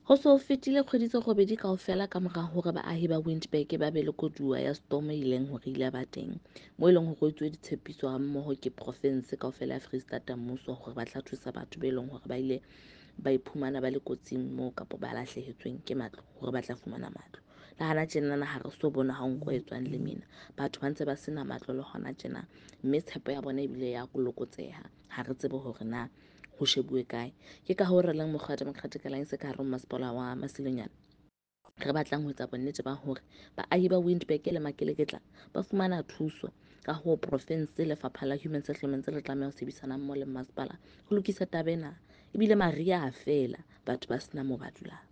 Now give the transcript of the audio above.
Ho se ho fetile kgwedi tse robedi kaofela ka mora hore baahi ba Windberg ba be le koduwa ya storm e ileng hore ile ba teng, moo e leng hore ho etsuwe ditshepiso ha mmoho ke profinse kaofela ya Freistata mmuso hore ba tla thusa batho be leng hore ba ile ba iphumana ba le kotsing moo kapa ba lahlehetsweng ke matlo hore ba tla fumana matlo. Le hana tjenana ha re so bone ha nko e tswang lemina. Batho ba ntse ba sena matlo le hona tjena, mme tshepo ya bona ebile ya lokotseha. Ha re tsebe hore na ho shebuwe kae. Ke ka hoo re leng mokgwa wa Democratic Alliance ka hare ho masepala wa Masilonyane re batlang ho etsa bonnete ba hore baahi ba Windberg le Makeleketla ba fumana thuso. Ka hoo profinse, lefapha la Human Settlements le tlameha ho sebedisana mmoho le masepala ho lokisa taba ena. Ebile mariha a fela, batho ba sena moo ba dulang.